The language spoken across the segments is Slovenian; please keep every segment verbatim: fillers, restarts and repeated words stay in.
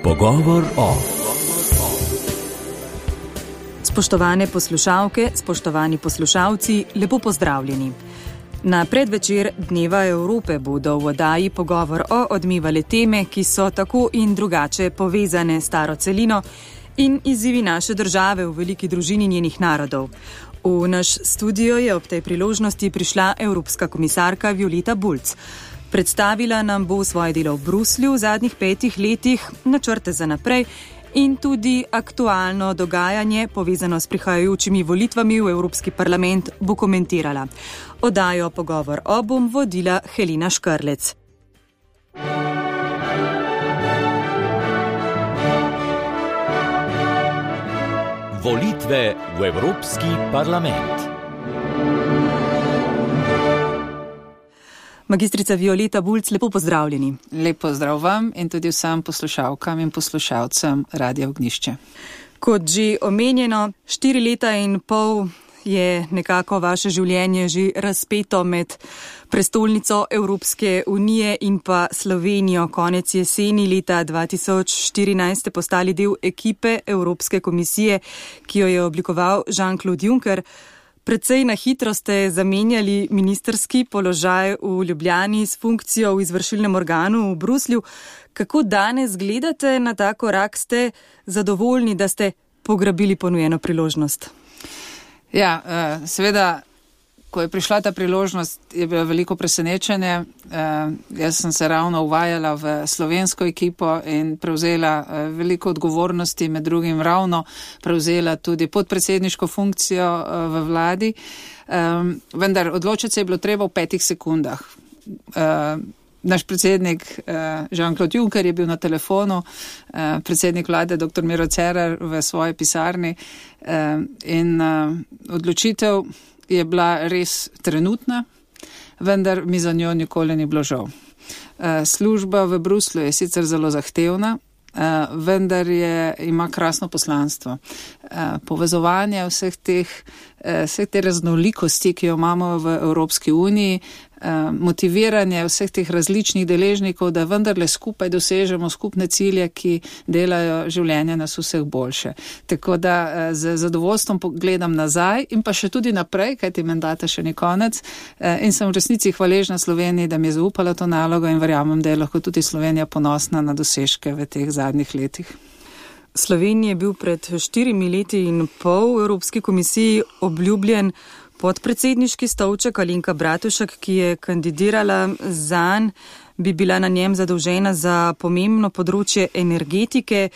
Pogovor o. Spoštovane poslušalke, spoštovani poslušalci, lepo pozdravljeni. Na predvečer Dneva Evrope bodo v oddaji Pogovor o odmevale teme, ki so tako in drugače povezane s staro celino in izzivi naše države v veliki družini njenih narodov. V naš studio je ob tej priložnosti prišla Evropska komisarka Violeta Bulc. Predstavila nam bo svoje delo v Bruslju v zadnjih petih letih, načrte za naprej in tudi aktualno dogajanje, povezano s prihajajočimi volitvami v Evropski parlament, bo komentirala. Oddajo Pogovor o bom vodila Helena Škrlec. Volitve v Evropski parlament. Magistrica Violeta Bulc, lepo pozdravljeni. Lep pozdrav vam in tudi vsem poslušalkam in poslušalcem Radia Ognjišče. Kot že omenjeno, štiri leta in pol je nekako vaše življenje že razpeto med prestolnico Evropske unije in pa Slovenijo. Konec jeseni leta dva tisoč štirinajst ste postali del ekipe Evropske komisije, ki jo je oblikoval Jean-Claude Juncker. Predvsej na hitro ste zamenjali ministrski položaj v Ljubljani s funkcijo v izvršilnem organu v Bruslju. Kako danes gledate na ta korak? Ste zadovoljni, da ste pograbili ponujeno priložnost? Ja, seveda, ko je prišla ta priložnost, je bilo veliko presenečenje. Jaz sem se ravno uvajala v slovensko ekipo in prevzela veliko odgovornosti, med drugim ravno prevzela tudi podpredsedniško funkcijo v vladi. Vendar odločiti se je bilo treba v petih sekundah. Naš predsednik Jean-Claude Juncker je bil na telefonu, predsednik vlade doktor Miro Cerar v svoji pisarni in odločitev je bila res trenutna, vendar mi za njo nikoli ni bilo žal. Služba v Bruslju je sicer zelo zahtevna, vendar je, ima krasno poslanstvo. Povezovanje vseh teh, vseh te raznolikosti, ki jo imamo v Evropski uniji, motiviranje vseh teh različnih deležnikov, da vendarle skupaj dosežemo skupne cilje, ki delajo življenje nas vseh boljše. Tako da z zadovoljstvom gledam nazaj in pa še tudi naprej, kajti mandata še ni konec, in sem v resnici hvaležna Sloveniji, da mi je zaupala to nalogo in verjamem, da je lahko tudi Slovenija ponosna na dosežke v teh zadnjih letih. Sloveniji je bil pred štirimi leti in pol v Evropski komisiji obljubljen podpredsedniški stolček. Alenka Bratušek, ki je kandidirala zanj, bi bila na njem zadolžena za pomembno področje energetike.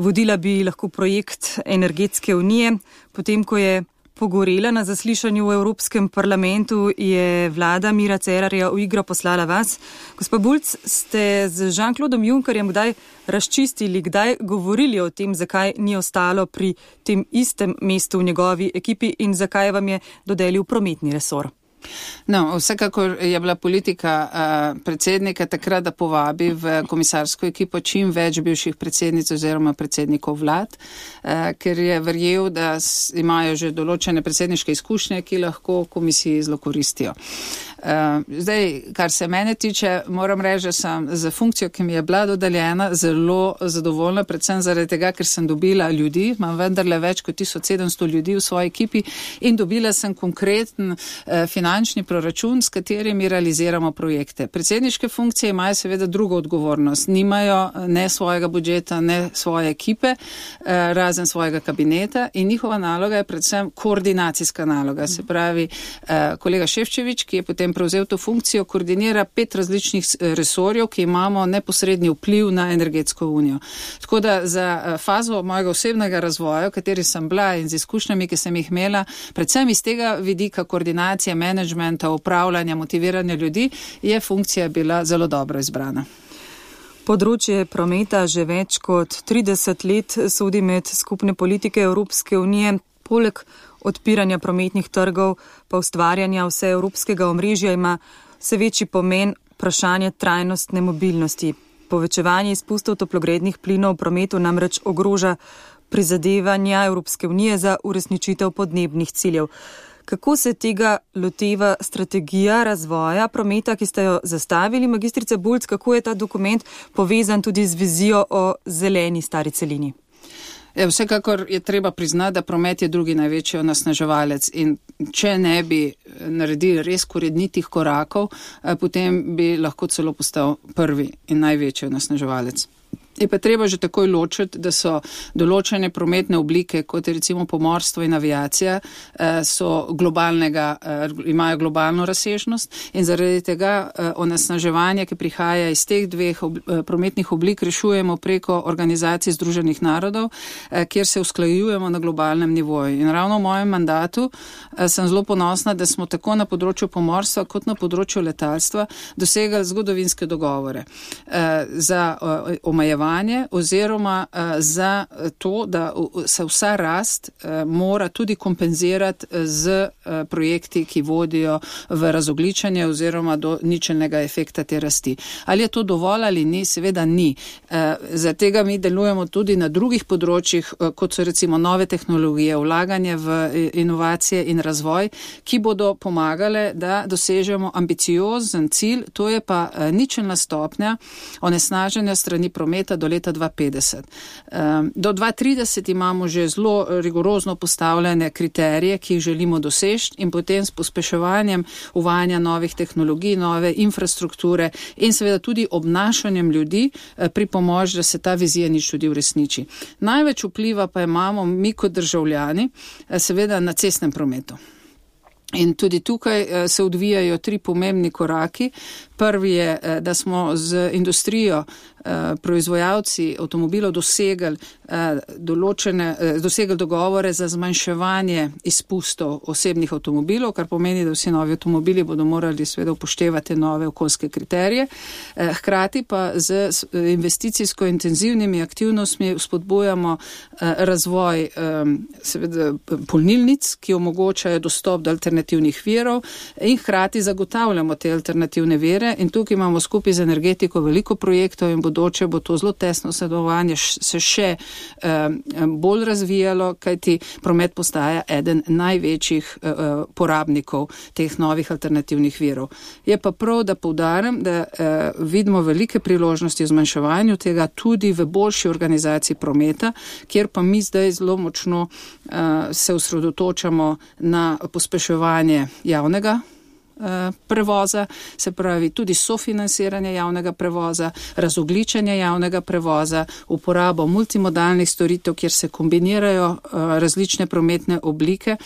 Vodila bi lahko projekt Energetske unije. Potem, ko je pogorela na zaslišanju v Evropskem parlamentu, je vlada Mira Cerarja v igro poslala vas. Gospa Bulc, ste z Jean-Claudom Junckerjem kdaj razčistili, kdaj govorili o tem, zakaj ni ostalo pri tem istem mestu v njegovi ekipi in zakaj vam je dodelil prometni resor? No, vsekakor je bila politika uh, predsednika takrat, da povabi v komisarsko ekipo čim več bivših predsednic oziroma predsednikov vlad, uh, ker je verjel, da s, imajo že določene predsedniške izkušnje, ki lahko komisiji zelo koristijo. Uh, zdaj, kar se mene tiče, moram reči, da sem za funkcijo, ki mi je bila dodeljena, zelo zadovoljna, predvsem zaradi tega, ker sem dobila ljudi, imam vendarle več kot tisoč sedemsto ljudi v svoji ekipi in dobila sem konkreten uh, finančni proračun, s katerimi realiziramo projekte. Predsedniške funkcije imajo seveda drugo odgovornost, nimajo ne svojega budžeta, ne svoje ekipe, uh, razen svojega kabineta in njihova naloga je predvsem koordinacijska naloga, se pravi uh, kolega Šefčevič, ki je potem prevzel to funkcijo, koordinira pet različnih resorjev, ki imamo neposredni vpliv na energetsko unijo. Tako da za fazo mojega osebnega razvoja, v kateri sem bila in z izkušnjami, ki sem jih imela, predvsem iz tega vidika koordinacije, menedžmenta, upravljanja, motiviranja ljudi, je funkcija bila zelo dobro izbrana. Področje prometa že več kot trideset let sodi med skupne politike Evropske unije. Poleg odpiranja prometnih trgov pa ustvarjanja vse evropskega omrežja ima vse večji pomen vprašanje trajnostne mobilnosti. Povečevanje izpustov toplogrednih plinov v prometu namreč ogroža prizadevanja Evropske unije za uresničitev podnebnih ciljev. Kako se tega loteva strategija razvoja prometa, ki ste jo zastavili, magistrica Bulc, kako je ta dokument povezan tudi z vizijo o zeleni stari celini? Ja, vsekakor je treba priznati, da promet je drugi največji onesnaževalec in če ne bi naredili res korenitih korakov, potem bi lahko celo postal prvi in največji onesnaževalec. Je pa treba že takoj ločiti, da so določene prometne oblike, kot je recimo pomorstvo in aviacija, so globalnega, imajo globalno razsežnost in zaradi tega onesnaževanja, ki prihaja iz teh dveh prometnih oblik, rešujemo preko Organizacije Združenih narodov, kjer se usklajujemo na globalnem nivoju. In ravno v mojem mandatu sem zelo ponosna, da smo tako na področju pomorstva kot na področju letalstva dosegali zgodovinske dogovore za omejevanje oziroma uh, za to, da se vsa rast uh, mora tudi kompenzirati z uh, projekti, ki vodijo v razogličenje oziroma do ničelnega efekta te rasti. Ali je to dovolj ali ni? Seveda ni. Uh, za tega mi delujemo tudi na drugih področjih, uh, kot so recimo nove tehnologije, vlaganje v inovacije in razvoj, ki bodo pomagale, da dosežemo ambiciozen cilj, to je pa uh, ničelna stopnja onesnaženja strani prometa do leta dva petdeset. Do dva trideset imamo že zelo rigorozno postavljene kriterije, ki jih želimo doseči in potem s pospeševanjem uvajanja novih tehnologij, nove infrastrukture in seveda tudi obnašanjem ljudi pripomoč, da se ta vizija nič tudi uresniči. Največ vpliva pa imamo mi kot državljani seveda na cestnem prometu. In tudi tukaj se odvijajo tri pomembni koraki. Prvi je, da smo z industrijo, proizvajalci avtomobilov dosegli določene, dosegli dogovore za zmanjševanje izpustov osebnih avtomobilov, kar pomeni, da vsi novi avtomobili bodo morali seveda upoštevati nove okoljske kriterije. Hkrati pa z investicijsko intenzivnimi aktivnostmi spodbujamo razvoj seveda polnilnic, ki omogočajo dostop do alternativnih virov in hkrati zagotavljamo te alternativne vire. In tukaj imamo skupaj z energetiko veliko projektov in bodoče bo to zelo tesno sodelovanje se še um, bolj razvijalo, kajti promet postaja eden največjih uh, porabnikov teh novih alternativnih virov. Je pa prav, da poudarim, da uh, vidimo velike priložnosti v zmanjševanju tega tudi v boljši organizaciji prometa, kjer pa mi zdaj zelo močno uh, se osredotočamo na pospeševanje javnega prevoza, se pravi tudi sofinansiranje javnega prevoza, razogličenje javnega prevoza, uporabo multimodalnih storitev, kjer se kombinirajo različne prometne oblike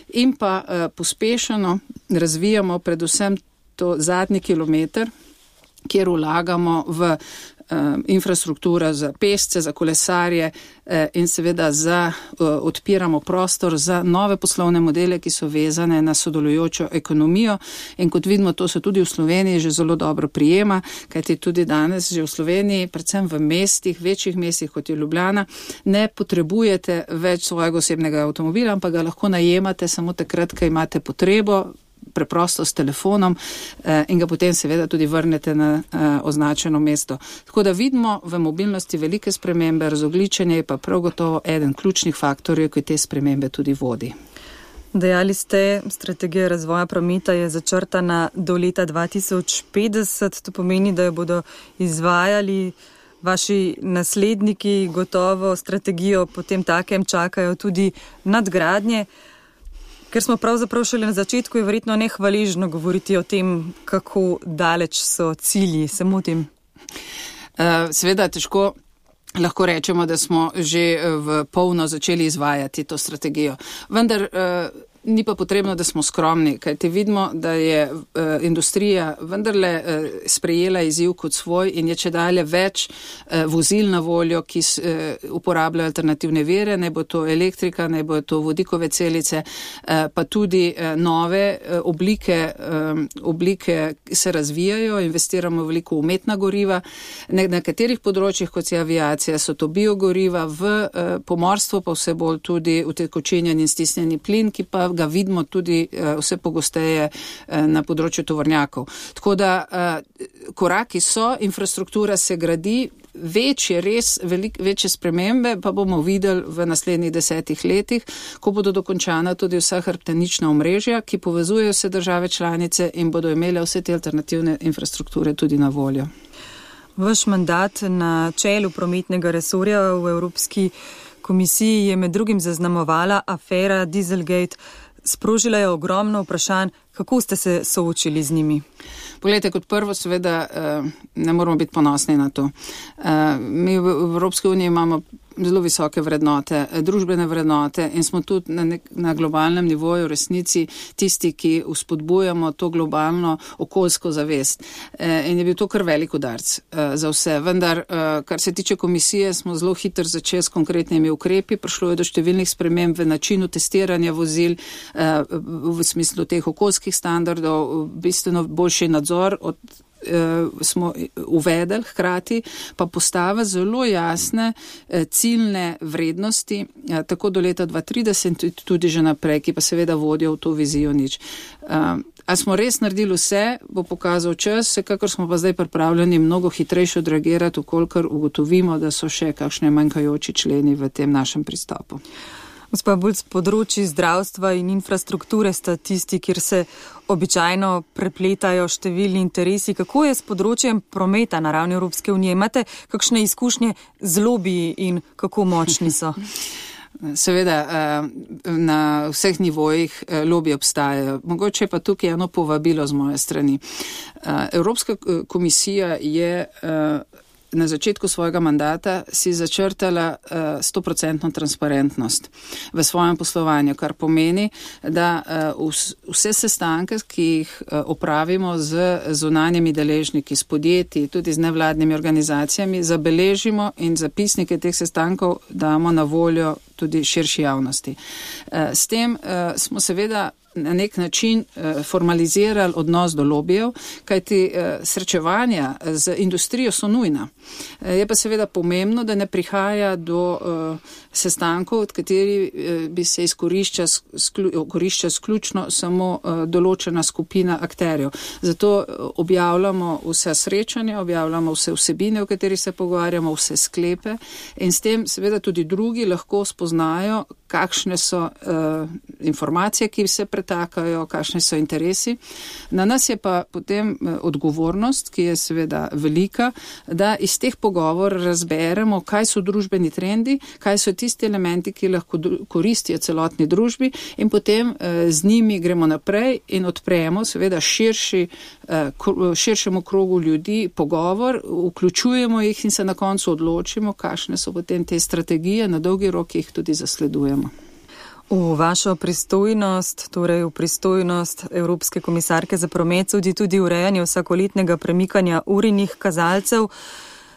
in pa pospešeno razvijamo predvsem to zadnji kilometer, kjer vlagamo v infrastruktura za pešce, za kolesarje in seveda za, odpiramo prostor za nove poslovne modele, ki so vezane na sodelujočo ekonomijo in kot vidimo, to se tudi v Sloveniji že zelo dobro prijema, kajti tudi danes že v Sloveniji, predvsem v mestih, večjih mestih kot je Ljubljana, ne potrebujete več svojega osebnega avtomobila, ampak ga lahko najemate samo takrat, ko imate potrebo, preprosto s telefonom eh, in ga potem seveda tudi vrnete na eh, označeno mesto. Tako da vidimo v mobilnosti velike spremembe, razogličenje je pa prav gotovo eden ključnih faktorjev, ki te spremembe tudi vodi. Dejali ste, strategija razvoja prometa je začrtana do leta dva tisoč petdeset, to pomeni, da jo bodo izvajali vaši nasledniki, gotovo strategijo potem takem čakajo tudi nadgradnje. Ker smo pravzaprav šele na začetku, je verjetno nehvaležno govoriti o tem, kako daleč so cilji, samo o tem. Seveda težko lahko rečemo, da smo že v polno začeli izvajati to strategijo. Vendar ni pa potrebno, da smo skromni, kajti vidimo, da je uh, industrija vendarle uh, sprejela izziv kot svoj in je čedalje več uh, vozil na voljo, ki s, uh, uporabljajo alternativne vire, ne bo to elektrika, ne bo to vodikove celice, uh, pa tudi uh, nove uh, oblike, um, oblike se razvijajo, investiramo veliko v umetna goriva. Na nekaterih področjih, kot je aviacija, so to biogoriva, v uh, pomorstvu pa vse bolj tudi utekočinjen in stisnjeni plin, ki pa ga vidimo tudi vse pogosteje na področju tovornjakov. Tako da koraki so, infrastruktura se gradi, večje, res velik, večje spremembe pa bomo videli v naslednjih desetih letih, ko bodo dokončana tudi vsa hrbtenična omrežja, ki povezujejo vse države članice in bodo imele vse te alternativne infrastrukture tudi na voljo. Vaš mandat na čelu prometnega resorja v Evropski komisiji je med drugim zaznamovala afera Dieselgate. Sprožila je ogromno vprašanj, kako ste se soočili z njimi? Poglejte, kot prvo seveda ne moramo biti ponosni na to. Mi v Evropski uniji imamo zelo visoke vrednote, družbene vrednote in smo tudi na, nek, na globalnem nivoju v resnici tisti, ki vzpodbujamo to globalno okoljsko zavest. In je bil to kar velik udarc za vse. Vendar, kar se tiče komisije, smo zelo hitro začeli s konkretnimi ukrepi. Prišlo je do številnih sprememb v načinu testiranja vozil v smislu teh okoljskih standardov, bistveno boljši nadzor od smo uvedeli, hkrati pa postave zelo jasne ciljne vrednosti, tako do leta dva tisoč trideset tudi že naprej, ki pa seveda vodijo v to vizijo nič. A smo res naredili vse, bo pokazal čas, kakor smo pa zdaj pripravljeni mnogo hitrejše odreagirati, ukolikor ugotovimo, da so še kakšne manjkajoči členi v tem našem pristopu. Gospa Bulc, področji zdravstva in infrastrukture sta tisti, kjer se običajno prepletajo številni interesi. Kako je s področjem prometa na ravni Evropske unije? Imate kakšne izkušnje z lobiji in kako močni so? Seveda, na vseh nivojih lobiji obstajajo. Mogoče pa tukaj eno povabilo z moje strani. Evropska komisija je na začetku svojega mandata si začrtala sto procentno transparentnost v svojem poslovanju, kar pomeni, da vse sestanke, ki jih opravimo z zunanjimi deležniki, s podjetji, tudi z nevladnimi organizacijami, zabeležimo in zapisnike teh sestankov damo na voljo tudi širši javnosti. S tem smo seveda na nek način formalizirali odnos do lobijev, kajti srečevanja z industrijo so nujna. Je pa seveda pomembno, da ne prihaja do sestankov, od kateri bi se izkorišča skorišča sključno samo določena skupina akterjev. Zato objavljamo vse srečanja, objavljamo vse vsebine, o katerih se pogovarjamo, vse sklepe in s tem seveda tudi drugi lahko spoznajo, kakšne so uh, informacije, ki se pretakajo, kakšni so interesi. Na nas je pa potem uh, odgovornost, ki je seveda velika, da iz teh pogovor razberemo, kaj so družbeni trendi, kaj so tisti elementi, ki lahko koristijo celotni družbi in potem uh, z njimi gremo naprej in odpremo seveda širši, uh, širšemu krogu ljudi pogovor, vključujemo jih in se na koncu odločimo, kakšne so potem te strategije, na dolgi rok jih tudi zasledujemo. V vašo pristojnost, torej v pristojnost Evropske komisarke za promet, sodi tudi urejanje vsakoletnega premikanja urinih kazalcev.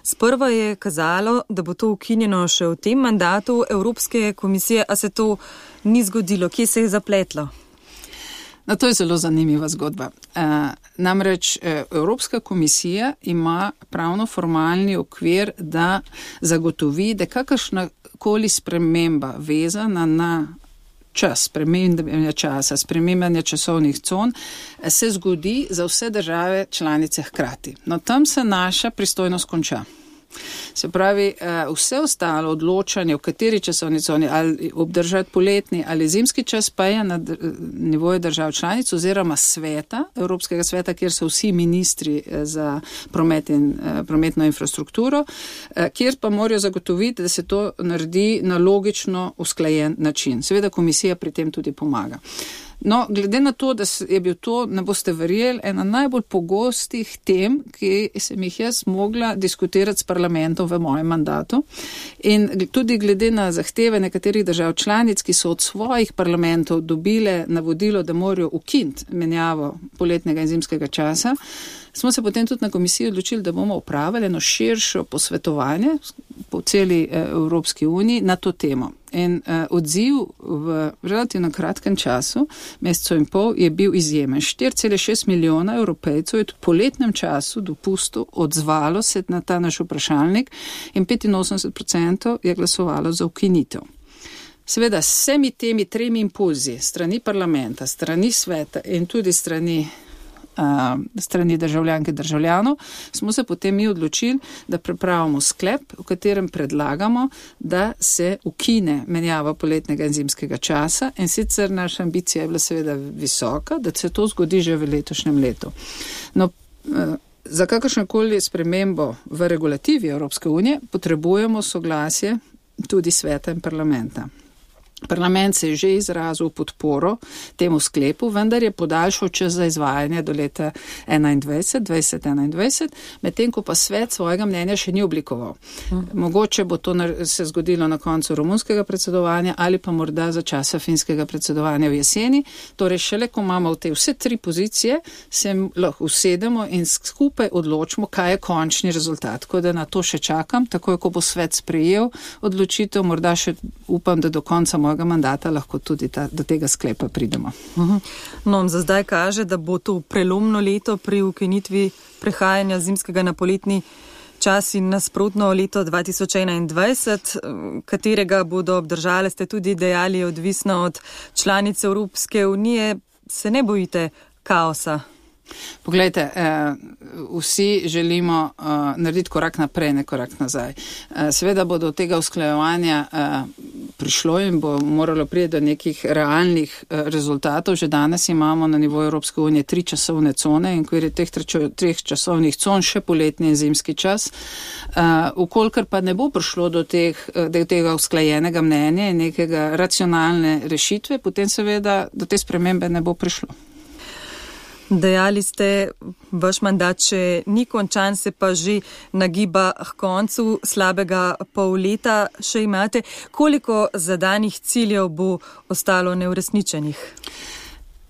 Sprva je kazalo, da bo to ukinjeno še v tem mandatu Evropske komisije, a se to ni zgodilo. Kje se je zapletlo? No, to je zelo zanimiva zgodba. E, namreč Evropska komisija ima pravno-formalni okvir, da zagotovi, da kakršna koli sprememba vezana na čas, spremembanja časa, spremembanja časovnih con se zgodi za vse države članice hkrati. No, tam se naša pristojnost konča. Se pravi, vse ostalo odločanje, v kateri časovni coni, ali obdržati poletni ali zimski čas, pa je na nivoju držav članic oziroma sveta, Evropskega sveta, kjer so vsi ministri za promet in prometno infrastrukturo, kjer pa morajo zagotoviti, da se to naredi na logično usklajen način. Seveda komisija pri tem tudi pomaga. No, glede na to, da je bil to, ne boste verjeli, ena najbolj pogostih tem, ki sem jih jaz mogla diskutirati s parlamentom v mojem mandatu in tudi glede na zahteve nekaterih držav članic, ki so od svojih parlamentov dobile navodilo, da morajo ukiniti menjavo poletnega in zimskega časa, smo se potem tudi na komisiji odločili, da bomo opravili eno širšo posvetovanje po celi Evropski uniji na to temo. In uh, odziv v relativno kratkem času, mesecu in pol, je bil izjemen. štiri cela šest milijona Evropejcev je v poletnem času dopustu odzvalo se na ta naš vprašalnik in petinosemdeset procentov je glasovalo za ukinitev. Seveda, s vsemi temi tremi impulzi, strani parlamenta, strani sveta in tudi strani Uh, strani državljanke državljanov, smo se potem mi odločili, da pripravimo sklep, v katerem predlagamo, da se ukine menjava poletnega in zimskega časa, in sicer naša ambicija je bila seveda visoka, da se to zgodi že v letošnjem letu. No, uh, za kakršnokoli spremembo v regulativi Evropske unije potrebujemo soglasje tudi sveta in parlamenta. Parlament se je že izrazil podporo temu sklepu, vendar je podaljšal čas za izvajanje do leta enaindvajset, dvajset enaindvajset, medtem ko pa svet svojega mnenja še ni oblikoval. Hmm. Mogoče bo to se zgodilo na koncu romunskega predsedovanja ali pa morda za časa finskega predsedovanja v jeseni. Torej šele, ko imamo v te vse tri pozicije, se lahko usedemo in skupaj odločimo, kaj je končni rezultat. Tako da na to še čakam, takoj ko bo svet sprejel odločitev, morda še upam, da do konca mojega mandata lahko tudi ta, do tega sklepa pridemo. No, za zdaj kaže, da bo to prelomno leto pri ukinitvi prehajanja zimskega na poletni čas in nasprotno leto dva tisoč enaindvajset, katerega bodo obdržale, ste tudi dejali, odvisno od članice Evropske unije. Se ne bojite kaosa? Poglejte, eh, vsi želimo eh, narediti korak naprej, ne korak nazaj. Eh, seveda bo do tega usklajevanja eh, prišlo in bo moralo priti do nekih realnih eh, rezultatov. Že danes imamo na nivoju Evropske unije tri časovne cone in ko je teh treh časovnih con še poletni in zimski čas. Eh, Ukolikor pa ne bo prišlo do, teh, do tega usklajenega mnenja in nekega racionalne rešitve, potem seveda do te spremembe ne bo prišlo. Dejali ste, vaš mandat še ni končan, se pa že nagiba k koncu, slabega pol leta še imate. Koliko zadanih ciljev bo ostalo neuresničenih?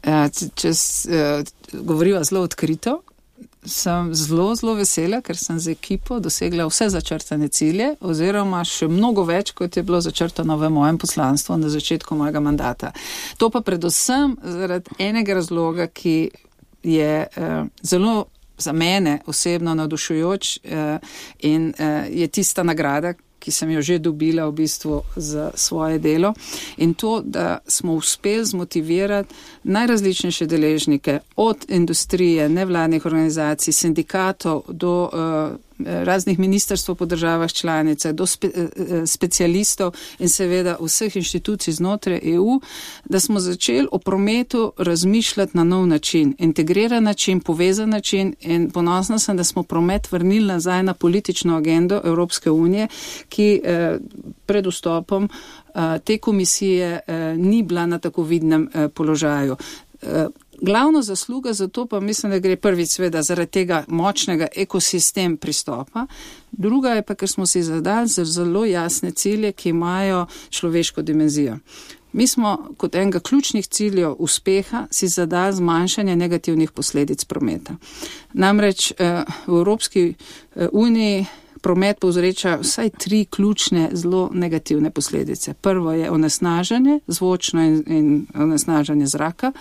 Če govoriva zelo odkrito, sem zelo, zelo vesela, ker sem z ekipo dosegla vse začrtane cilje, oziroma še mnogo več, kot je bilo začrtano v mojem poslanstvu na začetku mojega mandata. To pa predvsem zaradi enega razloga, ki je eh, zelo za mene osebno navdušujoč eh, in eh, je tista nagrada, ki sem jo že dobila v bistvu za svoje delo, in to, da smo uspeli zmotivirati najrazličnejše deležnike, od industrije, nevladnih organizacij, sindikatov do uh, raznih ministrstv po državah članice, do spe, uh, specialistov in seveda vseh inštitucij znotraj E U, da smo začeli o prometu razmišljati na nov način, integriran način, povezan način, in ponosna sem, da smo promet vrnili nazaj na politično agendo Evropske unije, ki eh, pred vstopom eh, te komisije eh, ni bila na tako vidnem eh, položaju. Eh, glavno zasluga za to pa mislim, da gre prvič sveda zaradi tega močnega ekosistem pristopa, druga je pa, ker smo si zadali zelo jasne cilje, ki imajo človeško dimenzijo. Mi smo kot enega ključnih ciljev uspeha si zadali zmanjšanje negativnih posledic prometa. Namreč eh, v Evropski uniji promet povzroča vsaj tri ključne, zelo negativne posledice. Prvo je onesnaženje, zvočno in, in onesnaženje zraka,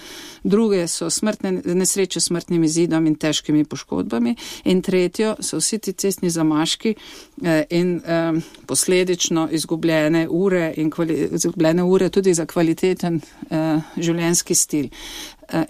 druge so smrtne, nesreče s smrtnim izidom in težkimi poškodbami, in tretjo so vsi ti cestni zamaški eh, in eh, posledično izgubljene ure in kvali, izgubljene ure tudi za kvaliteten eh, življenjski stil.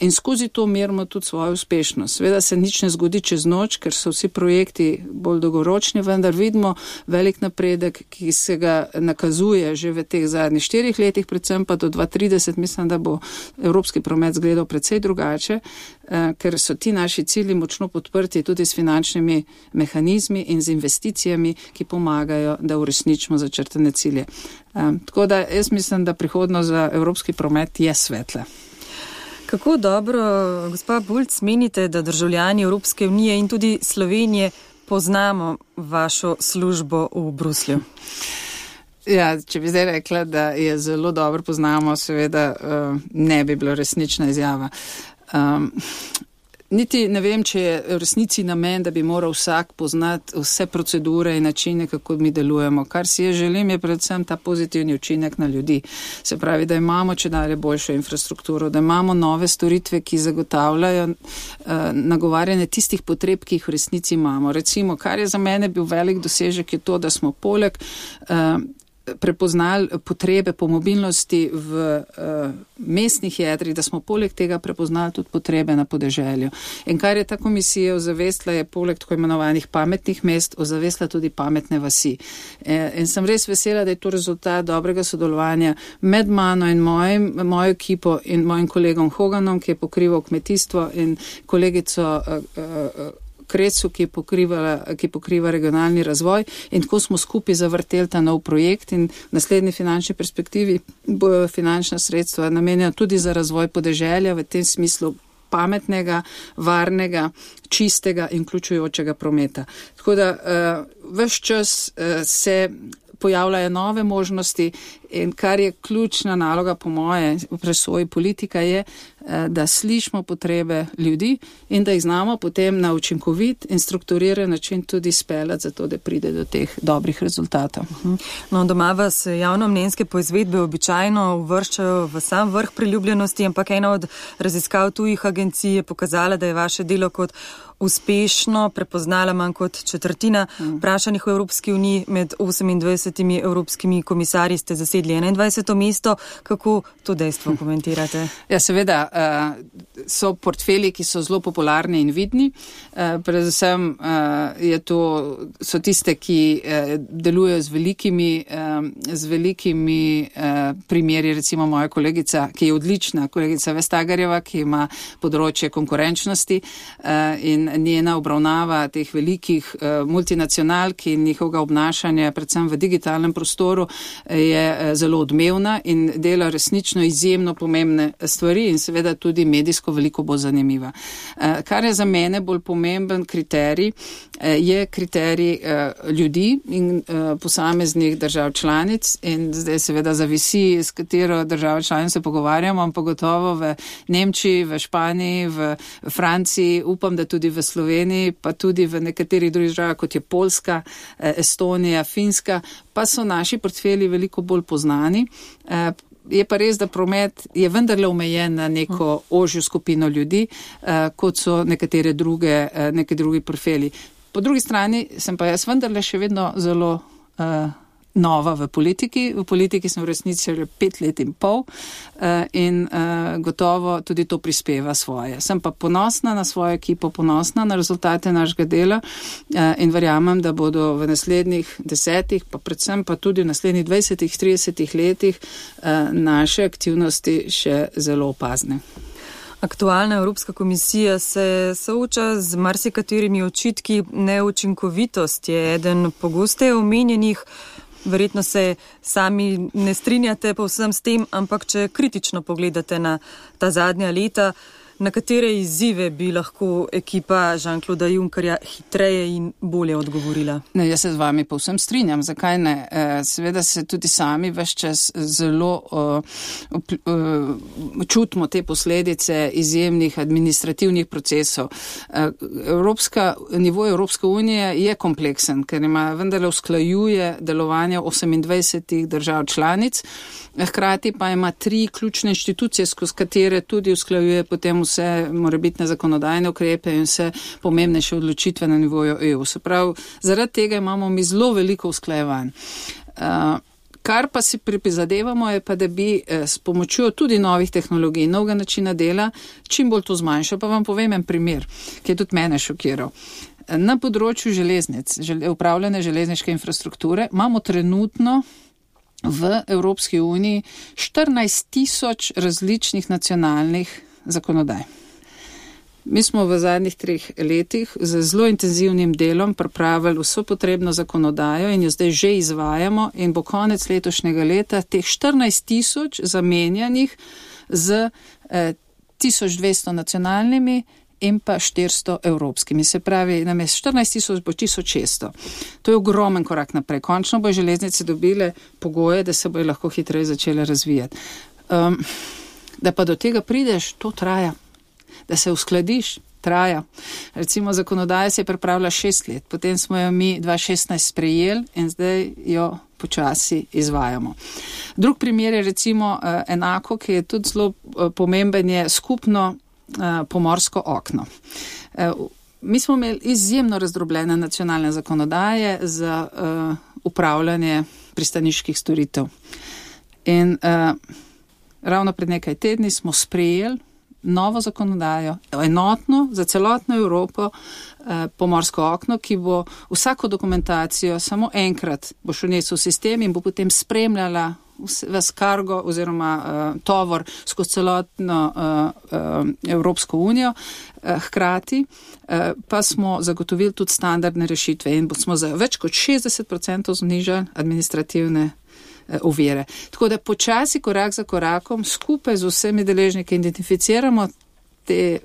In skozi to merimo tudi svojo uspešnost. Seveda se nič ne zgodi čez noč, ker so vsi projekti bolj dolgoročni, vendar vidimo velik napredek, ki se ga nakazuje že v teh zadnjih štirih letih, predvsem pa do dva tisoč trideset, mislim, da bo evropski promet zgledal precej drugače, ker so ti naši cilji močno podprti tudi s finančnimi mehanizmi in z investicijami, ki pomagajo, da uresničimo začrtane cilje. Tako da jaz mislim, da prihodnost za evropski promet je svetla. Kako dobro, gospa Bulc, menite, da državljani Evropske unije in tudi Slovenije poznamo vašo službo v Bruslju? Ja, če bi zdaj rekla, da je zelo dobro poznamo, seveda ne bi bilo resnična izjava. Um, Niti ne vem, če je v resnici namen, da bi moral vsak poznati vse procedure in načine, kako mi delujemo. Kar si je želim, je predvsem ta pozitivni učinek na ljudi. Se pravi, da imamo če dalje boljšo infrastrukturo, da imamo nove storitve, ki zagotavljajo uh, nagovarjanje tistih potreb, ki jih v resnici imamo. Recimo, kar je za mene bil velik dosežek, je to, da smo poleg uh, prepoznali potrebe po mobilnosti v uh, mestnih jedrih, da smo poleg tega prepoznali tudi potrebe na podeželju. In kar je ta komisija ozavestila, je poleg tako imenovanih pametnih mest ozavestila tudi pametne vasi. E, in sem res vesela, da je to rezultat dobrega sodelovanja med mano in mojim, mojo ekipo in mojim kolegom Hoganom, ki je pokrival kmetijstvo, in kolegico uh, uh, Krecu, ki, ki pokriva regionalni razvoj, in tako smo skupaj zavrteli ta nov projekt in v naslednji finančni perspektivi bojo finančna sredstva namenjena tudi za razvoj podeželja v tem smislu pametnega, varnega, čistega in vključujočega prometa. Tako da uh, ves čas uh, se pojavljajo nove možnosti in kar je ključna naloga po moje v presoji politika je, da slišimo potrebe ljudi in da jih znamo potem na učinkovit in strukturiran način tudi speljati za to, da pride do teh dobrih rezultatov. No, doma vas javnomnenjske poizvedbe običajno uvrščajo v sam vrh priljubljenosti, ampak ena od raziskav tujih agencij je pokazala, da je vaše delo kot uspešno prepoznala manj kot četrtina vprašanih v Evropski uniji. Med osemindvajsetimi evropskimi komisarji ste zasedli enaindvajseto mesto. Kako to dejstvo komentirate? Ja, seveda, so portfelji, ki so zelo popularni in vidni. Predvsem je to, so tiste, ki delujejo z velikimi, z velikimi primeri, recimo moja kolegica, ki je odlična, kolegica Vestagerjeva, ki ima področje konkurenčnosti in njena obravnava teh velikih uh, multinacionalk in njihovega obnašanja, predvsem v digitalnem prostoru, je uh, zelo odmevna in dela resnično izjemno pomembne stvari in seveda tudi medijsko veliko bolj zanimiva. Uh, kar je za mene bolj pomemben kriterij, uh, je kriterij uh, ljudi in uh, posameznih držav članic in zdaj seveda zavisi, s katero državo članic se pogovarjamo, ampak gotovo v Nemčiji, v Španiji, v Franciji, upam, da tudi v Sloveniji, pa tudi v nekaterih drugih državah, kot je Poljska, Estonija, Finska, pa so naši portfelji veliko bolj poznani. Je pa res, da promet je vendarle omejen na neko ožjo skupino ljudi, kot so nekatere druge, neke drugi portfelji. Po drugi strani sem pa jaz vendarle še vedno zelo nova v politiki. V politiki sem v resnici že pet let in pol uh, in uh, gotovo tudi to prispeva svoje. Sem pa ponosna na svojo ekipo, ponosna na rezultate našega dela uh, in verjamem, da bodo v naslednjih desetih, pa predvsem pa tudi v naslednjih dvajsetih, tridesetih letih uh, naše aktivnosti še zelo opazne. Aktualna Evropska komisija se sooča z marsikaterimi očitki. Neučinkovitost je eden pogosteje omenjenih. Verjetno se sami ne strinjate povsem s tem, ampak če kritično pogledate na ta zadnja leta, na katere izzive bi lahko ekipa Jean-Clauda Junckerja hitreje in bolje odgovorila? Ne, jaz se z vami povsem strinjam. Zakaj ne? Seveda se tudi sami ves čas zelo uh, uh, čutimo te posledice izjemnih administrativnih procesov. Uh, Evropska, nivo Evropske unije je kompleksen, ker ima vendarle usklajuje delovanje osemindvajsetih držav članic, hkrati pa ima tri ključne inštitucije, skozi katere tudi usklajuje potem vse morebitne zakonodajne ukrepe in vse pomembnejše odločitve na nivoju E U. Se pravi, zaradi tega imamo mi zelo veliko usklajevanj. Uh, kar pa si priprizadevamo je pa, da bi eh, s pomočjo tudi novih tehnologij, novega načina dela, čim bolj to zmanjšal. Pa vam povem en primer, ki je tudi mene šokiral. Na področju železnic, žel, upravljanja železniške infrastrukture, imamo trenutno v Evropski uniji štirinajst tisoč različnih nacionalnih zakonodaj. Mi smo v zadnjih treh letih z zelo intenzivnim delom pripravili vso potrebno zakonodajo in jo zdaj že izvajamo in bo konec letošnjega leta teh štirinajst tisoč zamenjanih z eh, tisoč dvesto nacionalnimi in pa štiristo evropskimi. Se pravi, namesto štirinajst tisoč bo tisoč šeststo. To je ogromen korak naprej. Končno bo železnice dobile pogoje, da se bojo lahko hitreje začele razvijati. Um, da pa do tega prideš, to traja. Da se uskladiš, traja. Recimo zakonodaja se je pripravila šest let, potem smo jo mi dva tisoč šestnajst sprejeli in zdaj jo počasi izvajamo. Drug primer je recimo uh, enako, ki je tudi zelo uh, pomemben, je skupno uh, pomorsko okno. Uh, mi smo imeli izjemno razdrobljene nacionalne zakonodaje za uh, upravljanje pristaniških storitev. In uh, ravno pred nekaj tedni smo sprejeli novo zakonodajo, enotno za celotno Evropo, eh, pomorsko okno, ki bo vsako dokumentacijo samo enkrat bo šel v sistem in bo potem spremljala ves kargo oziroma uh, tovor skozi celotno uh, uh, Evropsko unijo. Uh, hkrati uh, pa smo zagotovili tudi standardne rešitve in smo za več kot šestdeset procentov znižali administrativne ovire. Tako da počasi, korak za korakom, skupaj z vsemi deležniki identificiramo te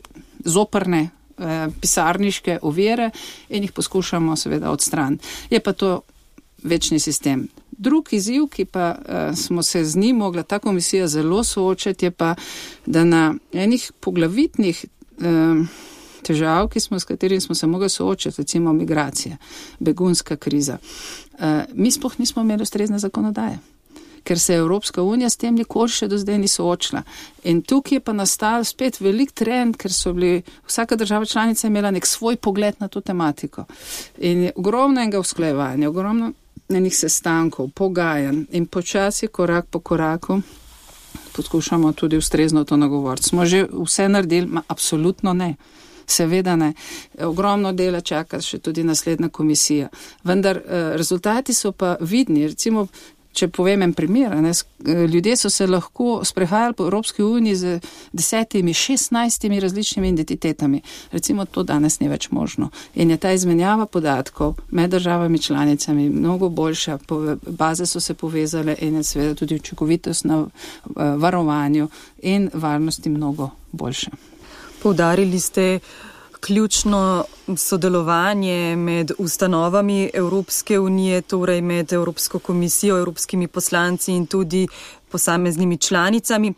zoprne eh, pisarniške ovire in jih poskušamo seveda odstraniti. Je pa to večni sistem. Drug izziv, ki pa eh, smo se z njim mogla ta komisija zelo soočati, je pa, da na enih poglavitnih eh, težav, ki smo, s katerimi smo se mogli soočati, recimo migracije, begunska kriza, eh, mi sploh nismo imeli ustrezne zakonodaje, ker se Evropska unija s tem nikoli še do zdaj ni soočila. In tukaj je pa nastal spet velik trend, ker so bili, vsaka država članica imela nek svoj pogled na to tematiko. In je ogromno enega usklajevanja, ogromno enih sestankov, pogajanj in počasi, korak po koraku, poskušamo tudi ustrezno to nagovoriti. Smo že vse naredili? Ma, absolutno ne. Seveda ne. Ogromno dela čaka še tudi naslednja komisija. Vendar eh, rezultati so pa vidni. Recimo, če povem en primer, ne, ljudje so se lahko sprehajali po Evropski uniji z desetimi, šestnajstimi različnimi identitetami. Recimo, to danes ni več možno. In je ta izmenjava podatkov med državami članicami mnogo boljša, baze so se povezale in je seveda tudi učinkovitost na varovanju in varnosti mnogo boljša. Poudarili ste ključno sodelovanje med ustanovami Evropske unije, torej med Evropsko komisijo, evropskimi poslanci in tudi posameznimi članicami.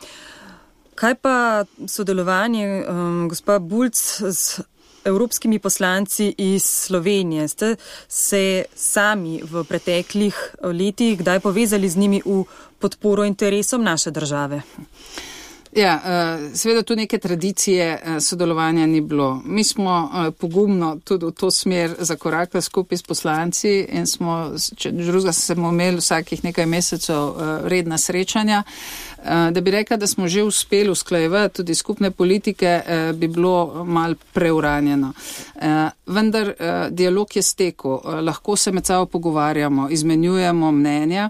Kaj pa sodelovanje, um, gospa Bulc, z evropskimi poslanci iz Slovenije? Ste se sami v preteklih letih kdaj povezali z njimi v podporo interesom naše države? Ja, seveda tu neke tradicije sodelovanja ni bilo. Mi smo pogumno tudi v to smer zakorakali skupaj s poslanci in smo, če drugega smo imeli vsakih nekaj mesecev redna srečanja. Da bi rekla, da smo že uspeli usklajevati tudi skupne politike, bi bilo mal preuranjeno. Vendar dialog je stekel, lahko se med sabo pogovarjamo, izmenjujemo mnenja,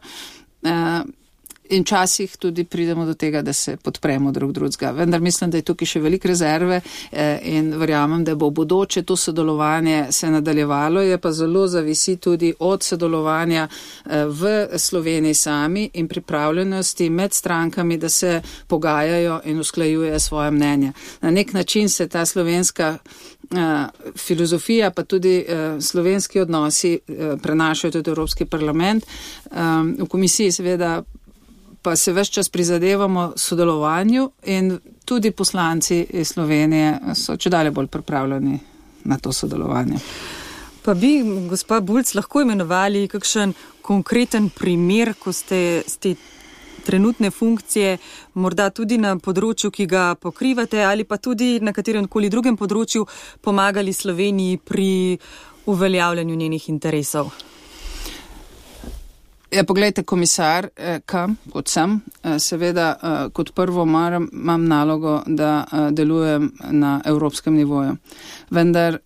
in včasih tudi pridemo do tega, da se podpremo drug drugega. Vendar mislim, da je tukaj še veliko rezerve in verjamem, da bo v bodoče to sodelovanje se nadaljevalo, je pa zelo zavisi tudi od sodelovanja v Sloveniji sami in pripravljenosti med strankami, da se pogajajo in usklajujejo svoje mnenje. Na nek način se ta slovenska filozofija, pa tudi slovenski odnosi prenašajo tudi Evropski parlament. V komisiji seveda pa se ves čas prizadevamo sodelovanju in tudi poslanci iz Slovenije so čedalje bolj pripravljeni na to sodelovanje. Pa bi, gospa Bulc, lahko imenovali kakšen konkreten primer, ko ste z te trenutne funkcije, morda tudi na področju, ki ga pokrivate, ali pa tudi na katerem koli drugem področju pomagali Sloveniji pri uveljavljanju njenih interesov? Ja, poglejte, komisar, kam, kot sem, seveda kot prvo maram, imam nalogo, da delujem na evropskem nivoju. Vendar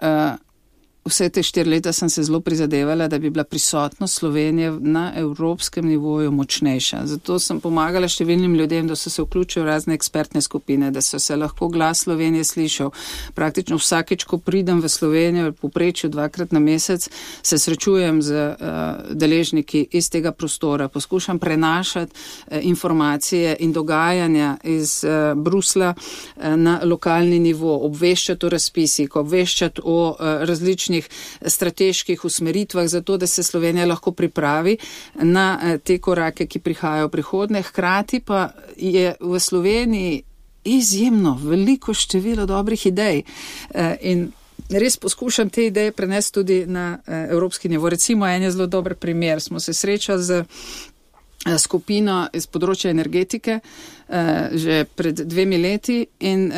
vse te štiri leta sem se zelo prizadevala, da bi bila prisotnost Slovenije na evropskem nivoju močnejša. Zato sem pomagala številnim ljudem, da so se vključili v razne ekspertne skupine, da so se lahko glas Slovenije slišal. Praktično vsakeč, ko pridem v Slovenijo, v povprečju dvakrat na mesec, se srečujem z uh, deležniki iz tega prostora, poskušam prenašati uh, informacije in dogajanja iz uh, Brusla uh, na lokalni nivo, obveščati o razpisih, obveščati o uh, različnih strateških usmeritvah za to, da se Slovenija lahko pripravi na te korake, ki prihajajo v prihodnje. Hkrati pa je v Sloveniji izjemno veliko število dobrih idej in res poskušam te ideje prenesti tudi na evropski nivo. Recimo en je zelo dober primer. Smo se srečali z skupino iz področja energetike, že pred dvemi leti in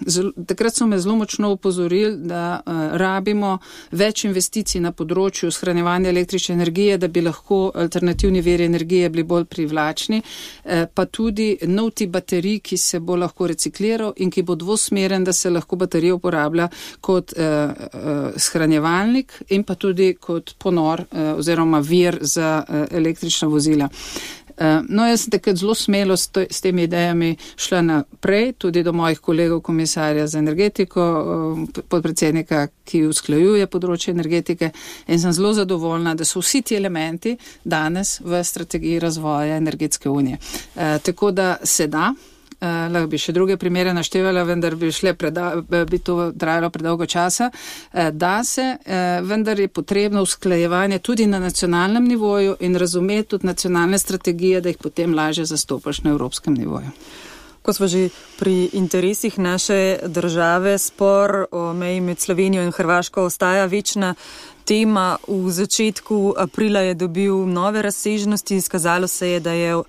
zelo, takrat so me zelo močno upozorili, da rabimo več investicij na področju shranjevanja električne energije, da bi lahko alternativni viri energije bili bolj privlačni, pa tudi nov tip baterij, ki se bo lahko recikliral in ki bo dvosmeren, da se lahko baterija uporablja kot shranjevalnik in pa tudi kot ponor oziroma vir za električna vozila. No, jaz sem takrat zelo smelo s, to, s temi idejami šla naprej, tudi do mojih kolegov komisarja za energetiko, podpredsednika, ki usklajuje področje energetike in sem zelo zadovoljna, da so vsi ti elementi danes v strategiji razvoja energetske unije. E, tako da se da. Uh, lahko bi še druge primere naštevala, vendar bi, šle preda, bi to trajalo predolgo časa. Uh, da se, uh, vendar je potrebno usklajevanje tudi na nacionalnem nivoju in razumeti tudi nacionalne strategije, da jih potem lažje zastopaš na evropskem nivoju. Ko smo že pri interesih naše države, spor o meji med Slovenijo in Hrvaško ostaja večna tema. V začetku aprila je dobil nove razsežnosti, izkazalo se je, da je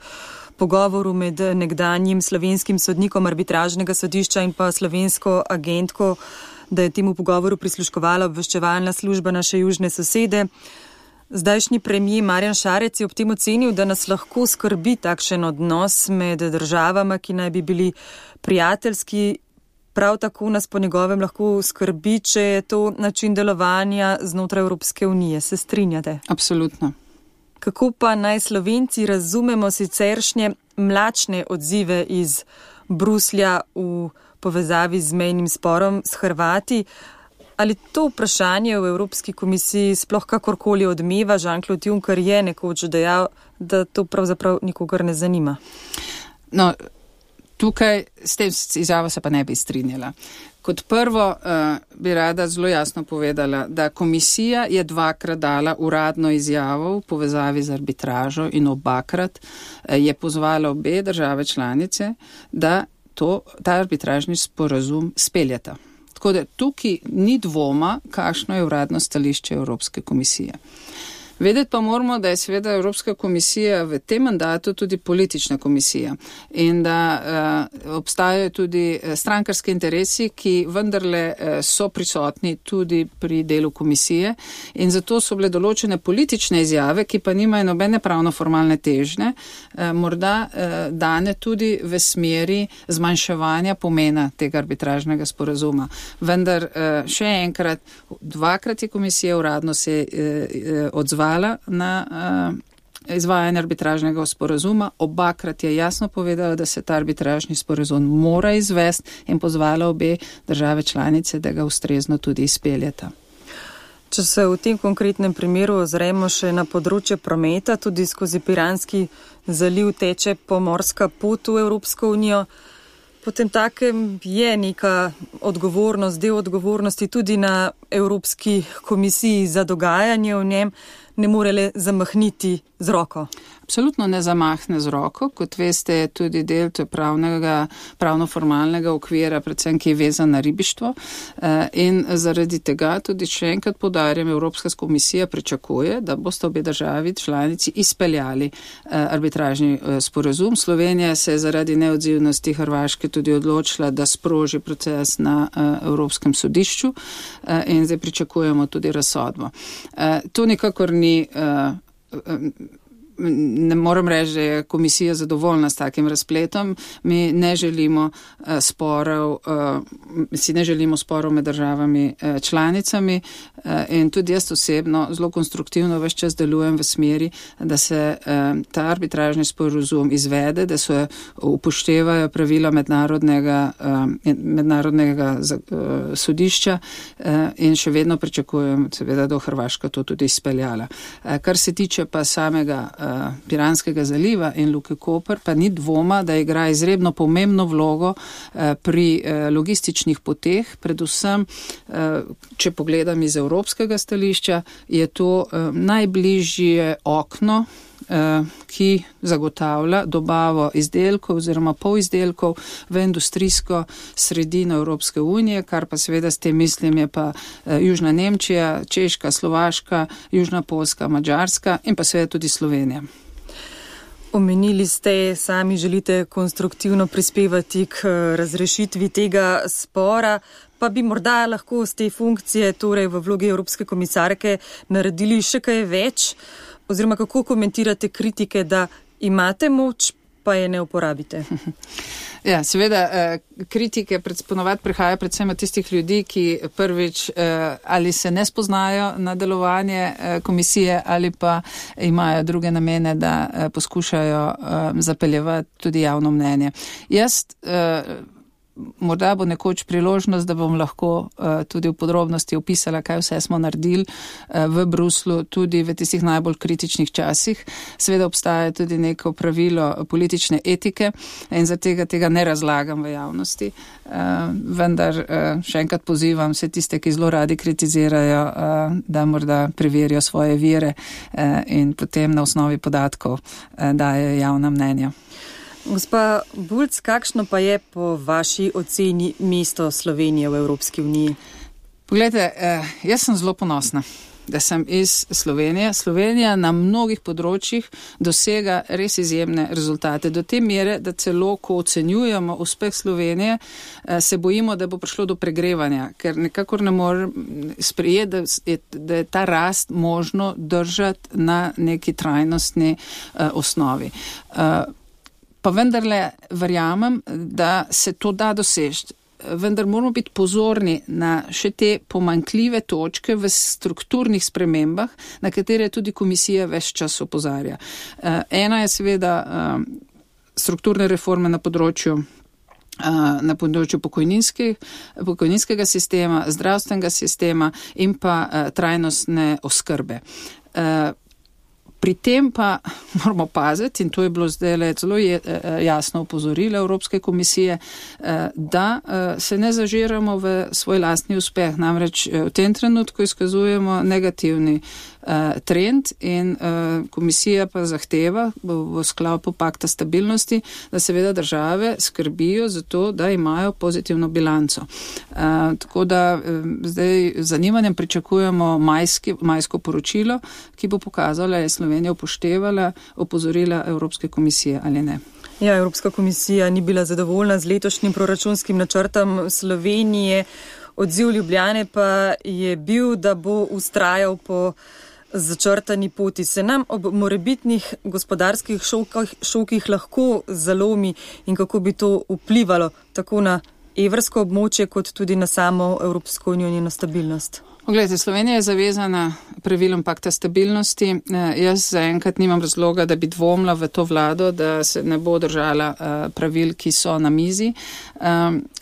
pogovoru med nekdanjim slovenskim sodnikom arbitražnega sodišča in pa slovensko agentko, da je temu pogovoru prisluškovala obveščevalna služba naše južne sosede. Zdajšnji premijer Marjan Šarec je ob tem ocenil, da nas lahko skrbi takšen odnos med državama, ki naj bi bili prijateljski. Prav tako nas po njegovem lahko skrbi, če je to način delovanja znotraj Evropske unije. Se strinjate? Absolutno. Kako pa naj Slovenci razumemo siceršnje mlačne odzive iz Bruslja v povezavi z mejnim sporom s Hrvati? Ali to vprašanje v Evropski komisiji sploh kakorkoli odmeva? Jean-Claude Juncker je nekoč dejal, da to pravzaprav nikogar ne zanima. No, tukaj s tem izjavo se pa ne bi strinjala. Kot prvo uh, bi rada zelo jasno povedala, da komisija je dvakrat dala uradno izjavo v povezavi z arbitražo in obakrat uh, je pozvala obe države članice, da to, ta arbitražni sporazum speljata. Tako da tukaj ni dvoma, kakšno je uradno stališče Evropske komisije. Vedeti pa moramo, da je seveda Evropska komisija v tem mandatu tudi politična komisija in da uh, obstajajo tudi strankarski interesi, ki vendarle uh, so prisotni tudi pri delu komisije in zato so bile določene politične izjave, ki pa nimajo nobene pravno-formalne težnje, uh, morda uh, dane tudi v smeri zmanjševanja pomena tega arbitražnega sporazuma. Vendar uh, še enkrat, dvakrat je komisija uradno se uh, odzvala na uh, izvajanje arbitražnega sporazuma. Obakrat je jasno povedala, da se ta arbitražni sporazum mora izvesti in pozvala obe države članice, da ga ustrezno tudi izpeljeta. Če se v tem konkretnem primeru ozremo še na področje prometa, tudi skozi Piranski zaliv teče pomorska pot v Evropsko unijo, potem takem je neka odgovornost, del odgovornosti tudi na Evropski komisiji za dogajanje v njem, ne more le zamahniti z roko. Absolutno ne zamahne z roko, kot veste, je tudi del pravnega, pravno-formalnega okvira, predvsem ki je vezan na ribištvo. In zaradi tega tudi še enkrat poudarjam, Evropska komisija pričakuje, da boste obe državi članici izpeljali arbitražni sporazum. Slovenija se je zaradi neodzivnosti Hrvaške tudi odločila, da sproži proces na Evropskem sodišču in zdaj pričakujemo tudi razsodbo. To nikakor ni ne moram reči, da je komisija zadovoljna s takim razpletom. Mi ne želimo uh, sporov, uh, si ne želimo sporov med državami uh, članicami uh, in tudi jaz osebno zelo konstruktivno ves čas delujem v smeri, da se uh, ta arbitražni sporazum izvede, da se upoštevajo pravila mednarodnega, uh, mednarodnega uh, sodišča uh, in še vedno pričakujem, seveda, da bo Hrvaška to tudi izpeljala. Uh, kar se tiče pa samega uh, Piranskega zaliva in Luke Koper, pa ni dvoma, da igra izredno pomembno vlogo uh, pri uh, logističnih poteh, predvsem, uh, če pogledam iz evropskega stališča, je to uh, najbližje okno, ki zagotavlja dobavo izdelkov oziroma polizdelkov v industrijsko sredino Evropske unije, kar pa seveda s tem mislim je pa Južna Nemčija, Češka, Slovaška, Južna Poljska, Madžarska in pa seveda tudi Slovenija. Omenili ste, sami želite konstruktivno prispevati k razrešitvi tega spora, pa bi morda lahko z te funkcije, torej v vlogi Evropske komisarke, naredili še kaj več, oziroma kako komentirate kritike, da imate moč, pa je ne uporabite? Ja, seveda, kritike ponovadi prihaja predvsem od tistih ljudi, ki prvič ali se ne spoznajo na delovanje komisije ali pa imajo druge namene, da poskušajo zapeljevati tudi javno mnenje. Jaz morda bo nekoč priložnost, da bom lahko uh, tudi v podrobnosti opisala, kaj vse smo naredili uh, v Bruslu, tudi v tistih najbolj kritičnih časih. Seveda obstaja tudi neko pravilo politične etike in za tega, tega ne razlagam v javnosti. Uh, vendar uh, še enkrat pozivam vse tiste, ki zelo radi kritizirajo, uh, da morda preverijo svoje vire uh, in potem na osnovi podatkov uh, dajo javna mnenja. Gospa Bulc, kakšno pa je po vaši oceni mesto Slovenije v Evropski uniji? Poglejte, jaz sem zelo ponosna, da sem iz Slovenije. Slovenija na mnogih področjih dosega res izjemne rezultate. Do te mere, da celo, ko ocenjujemo uspeh Slovenije, se bojimo, da bo prišlo do pregrevanja, ker nekako ne morem sprejeti, da je, da je ta rast možno držati na neki trajnostni uh, osnovi. Uh, Pa vendarle verjamem, da se to da doseči. Vendar moramo biti pozorni na še te pomanjkljive točke v strukturnih spremembah, na katere tudi komisija ves čas opozarja. Ena je seveda strukturne reforme na področju na področju pokojninskega sistema, zdravstvenega sistema in pa trajnostne oskrbe. Pri tem pa moramo paziti, in to je bilo zdaj zelo jasno opozorilo Evropske komisije, da se ne zažiramo v svoj lastni uspeh. Namreč v tem trenutku izkazujemo negativni trend in komisija pa zahteva v sklopu pakta stabilnosti, da seveda države skrbijo za to, da imajo pozitivno bilanco. Tako da zdaj z zanimanjem pričakujemo majski, majsko poročilo, ki bo pokazalo, da je Slovenija upoštevala opozorila Evropske komisije ali ne. Ja, Evropska komisija ni bila zadovoljna z letošnjim proračunskim načrtom Slovenije. Odziv Ljubljane pa je bil, da bo ustrajal po začrtani poti. Se nam ob morebitnih gospodarskih šokih, šokih lahko zalomi in kako bi to vplivalo tako na evrsko območje kot tudi na samo Evropsko unijo in njeno stabilnost? Poglejte, Slovenija je zavezana pravilom pakta stabilnosti. Jaz zaenkrat nimam razloga, da bi dvomila v to vlado, da se ne bo držala pravil, ki so na mizi.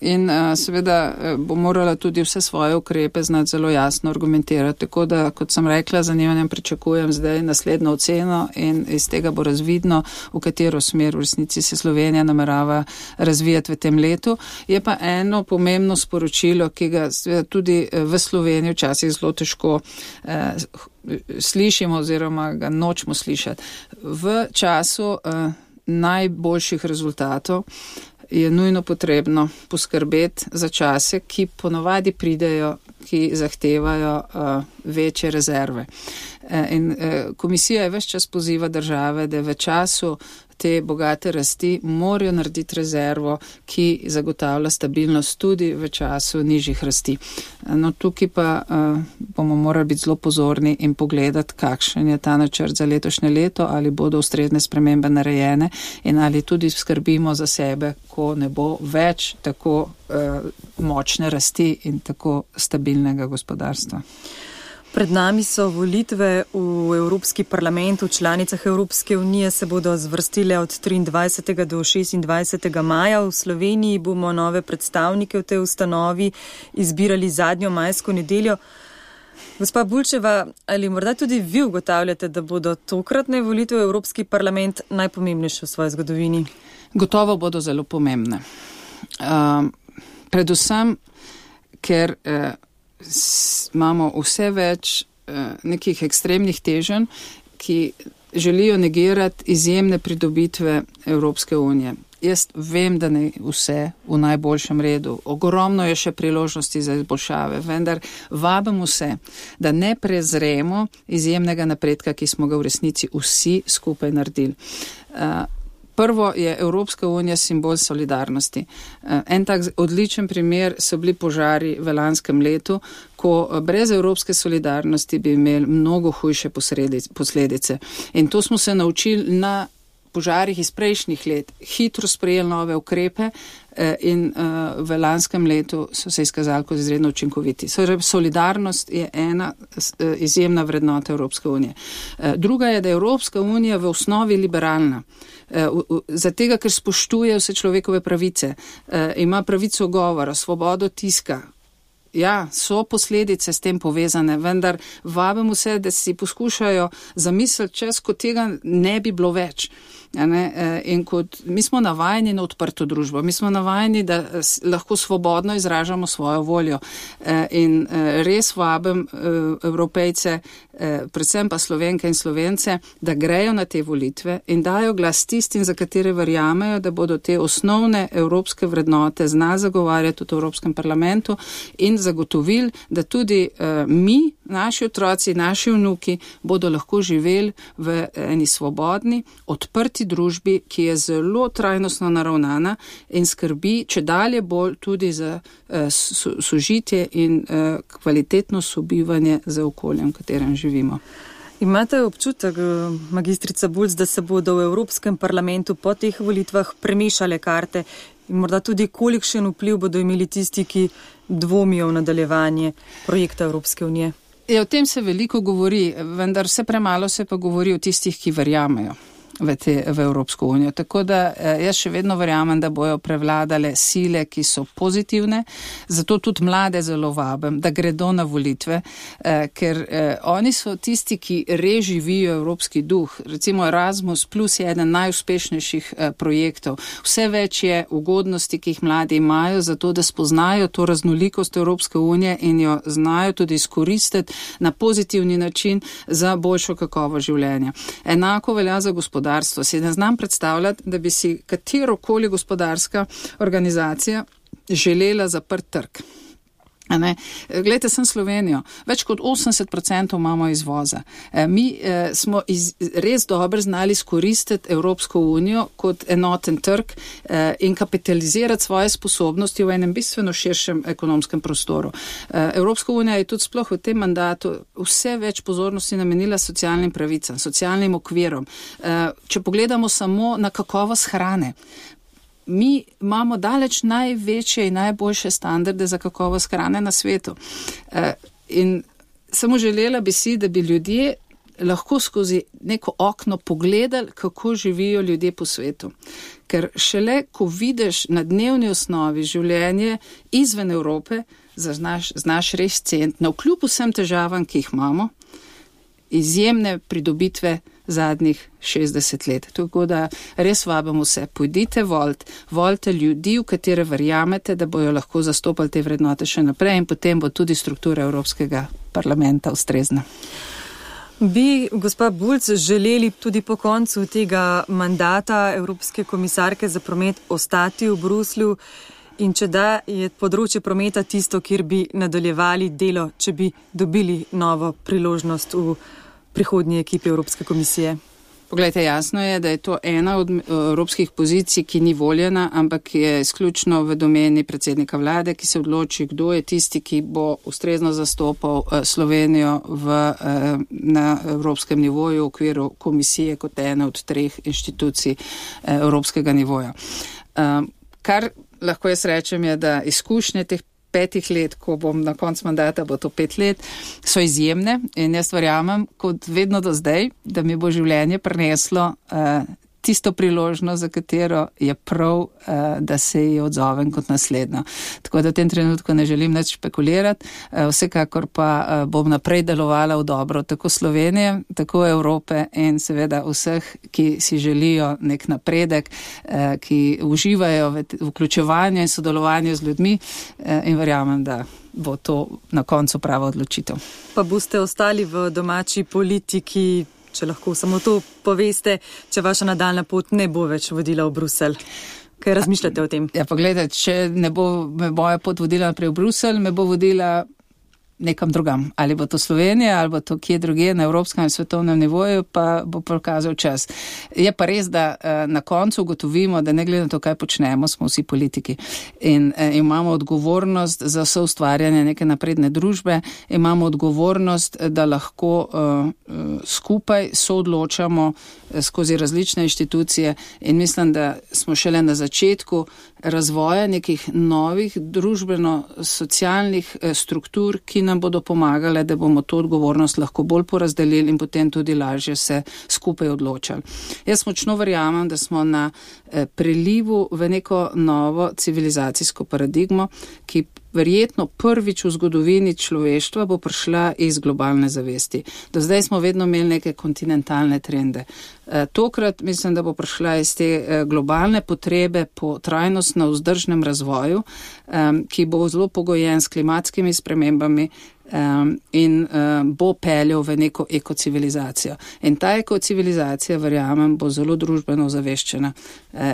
In seveda bo morala tudi vse svoje ukrepe znati zelo jasno argumentirati. Tako da, kot sem rekla, zanimanjem pričakujem zdaj naslednjo oceno in iz tega bo razvidno, v katero smer v resnici se Slovenija namerava razvijati v tem letu. Je pa eno pomembno sporočilo, ki ga tudi v Sloveniji včasih zelo težko eh, slišimo oziroma ga nočemo slišati. V času eh, najboljših rezultatov je nujno potrebno poskrbeti za čase, ki ponovadi pridejo, ki zahtevajo uh, večje rezerve. E, in e, komisija je ves čas poziva države, da v času te bogate rasti morajo narediti rezervo, ki zagotavlja stabilnost tudi v času nižjih rasti. No, tukaj pa uh, bomo morali biti zelo pozorni in pogledati, kakšen je ta načrt za letošnje leto, ali bodo ustrezne spremembe narejene in ali tudi skrbimo za sebe, ko ne bo več tako uh, močne rasti in tako stabilnega gospodarstva. Pred nami so volitve v Evropski parlament. V članicah Evropske unije se bodo zvrstile od triindvajsetega do šestindvajsetega maja. V Sloveniji bomo nove predstavnike v tej ustanovi izbirali zadnjo majsko nedeljo. Gospa Bulčeva, ali morda tudi vi ugotavljate, da bodo tokratne volitve v Evropski parlament najpomembnejše v svoji zgodovini? Gotovo bodo zelo pomembne. Uh, predvsem, ker uh, imamo vse več uh, nekih ekstremnih teženj, ki želijo negirati izjemne pridobitve Evropske unije. Jaz vem, da ne vse v najboljšem redu. Ogromno je še priložnosti za izboljšave, vendar vabim vse, da ne prezremo izjemnega napredka, ki smo ga v resnici vsi skupaj naredili. Prvo je Evropska unija simbol solidarnosti. En tak odličen primer so bili požari v lanskem letu, ko brez evropske solidarnosti bi imeli mnogo hujše posledice. In to smo se naučili na požarih iz prejšnjih let, hitro sprejeli nove ukrepe in v lanskem letu so se izkazali kot izredno učinkoviti. Solidarnost je ena izjemna vrednota Evropske unije. Druga je, da je Evropska unija v osnovi liberalna. Zato, ker spoštuje vse človekove pravice, ima pravico govora, svobodo tiska. Ja, so posledice s tem povezane, vendar vabim vse, da si poskušajo zamisliti čas, ko tega ne bi bilo več. In kot mi smo navajeni na odprto družbo, mi smo navajeni, da lahko svobodno izražamo svojo voljo. In res vabim Evropejce, predvsem pa Slovenke in Slovence, da grejo na te volitve in dajo glas tistim, za katere verjamejo, da bodo te osnovne evropske vrednote znali zagovarjati v Evropskem parlamentu in zagotovili, da tudi mi, naši otroci, naši vnuki bodo lahko živeli v eni svobodni, odprti družbi, ki je zelo trajnostno naravnana in skrbi če dalje bolj tudi za sožitje in kvalitetno sobivanje za okoljem, v katerem živimo. Imate občutek, magistrica Bulc, da se bodo v Evropskem parlamentu po teh volitvah premešale karte in morda tudi kolikšen vpliv bodo imeli tisti, ki dvomijo v nadaljevanje projekta Evropske unije? Ja, o tem se veliko govori, vendar vse premalo se pa govori o tistih, ki verjamejo v, te, v Evropsko unijo. Tako da jaz še vedno verjamem, da bojo prevladale sile, ki so pozitivne, zato tudi mlade zelo vabim, da gredo na volitve, eh, ker eh, oni so tisti, ki res živijo evropski duh. Recimo Erasmus Plus je eden najuspešnejših eh, projektov. Vse več je ugodnosti, ki jih mladi imajo, zato da spoznajo to raznolikost Evropske unije in jo znajo tudi izkoristiti na pozitivni način za boljšo kakovo življenja. Enako velja za gospodarstvo. Si ne znam predstavljati, da bi si katerokoli gospodarska organizacija želela zaprt trg. Glejte, sem Slovenijo. Več kot osemdeset procentov imamo izvoza. Mi eh, smo iz, res dobro znali izkoristiti Evropsko unijo kot enoten trg eh, in kapitalizirati svoje sposobnosti v enem bistveno širšem ekonomskem prostoru. Eh, Evropska unija je tudi sploh v tem mandatu vse več pozornosti namenila socialnim pravicam, socialnim okvirom. Eh, če pogledamo samo na kakovost hrane, mi imamo daleč največje in najboljše standarde za kakovost hrane na svetu. In samo želela bi si, da bi ljudje lahko skozi neko okno pogledali, kako živijo ljudje po svetu. Ker šele, ko vidiš na dnevni osnovi življenje izven Evrope, znaš, znaš res ceniti, navkljub vsem težavam, ki jih imamo, izjemne pridobitve zadnjih šestdeset let. Tako da res vabim vse, pojdite volt, volite ljudi, v katere verjamete, da bojo lahko zastopali te vrednote še naprej in potem bo tudi struktura Evropskega parlamenta ustrezna. Bi, gospa Bulc, želeli tudi po koncu tega mandata Evropske komisarke za promet ostati v Bruslju in če da, je področje prometa tisto, kjer bi nadaljevali delo, če bi dobili novo priložnost v prihodnji ekipi Evropske komisije? Poglejte, jasno je, da je to ena od evropskih pozicij, ki ni voljena, ampak je izključno v domeni predsednika vlade, ki se odloči, kdo je tisti, ki bo ustrezno zastopal Slovenijo v, na evropskem nivoju v okviru komisije kot ene od treh inštitucij evropskega nivoja. Kar lahko jaz rečem je, da izkušnje teh petih let, ko bom na koncu mandata, bo to pet let, so izjemne in jaz verjamem, kot vedno do zdaj, da mi bo življenje prineslo uh, tisto priložnost, za katero je prav, uh, da se ji odzovem kot naslednjo. Tako da v tem trenutku ne želim nič špekulirati, uh, vsekakor pa uh, bom naprej delovala v dobro tako Slovenije, tako Evrope in seveda vseh, ki si želijo nek napredek, uh, ki uživajo v vključevanju in sodelovanju z ljudmi uh, in verjamem, da bo to na koncu prava odločitev. Pa boste ostali v domači politiki, če lahko samo to poveste, če vaša nadaljna pot ne bo več vodila v Bruselj? Kaj razmišljate o tem? Ja, pa gledajte, če ne bo me moja pot vodila naprej v Bruselj, me bo vodila nekam drugam. Ali bo to Slovenija, ali bo to kje druge na evropskem in svetovnem nivoju, pa bo pokazal čas. Je pa res, da na koncu ugotovimo, da ne glede na to, kaj počnemo, smo vsi politiki. In imamo odgovornost za soustvarjanje neke napredne družbe, imamo odgovornost, da lahko uh, skupaj soodločamo skozi različne inštitucije in mislim, da smo šele na začetku razvoja nekih novih družbeno-socialnih struktur, ki nam bodo pomagale, da bomo to odgovornost lahko bolj porazdelili in potem tudi lažje se skupaj odločali. Jaz močno verjamem, da smo na prelivu v neko novo civilizacijsko paradigmo, ki verjetno prvič v zgodovini človeštva bo prišla iz globalne zavesti. Do zdaj smo vedno imeli neke kontinentalne trende. Tokrat mislim, da bo prišla iz te globalne potrebe po trajnostno vzdržnem razvoju, ki bo zelo pogojen s klimatskimi spremembami in bo peljal v neko ekocivilizacijo. In ta ekocivilizacija, verjamem, bo zelo družbeno zaveščena.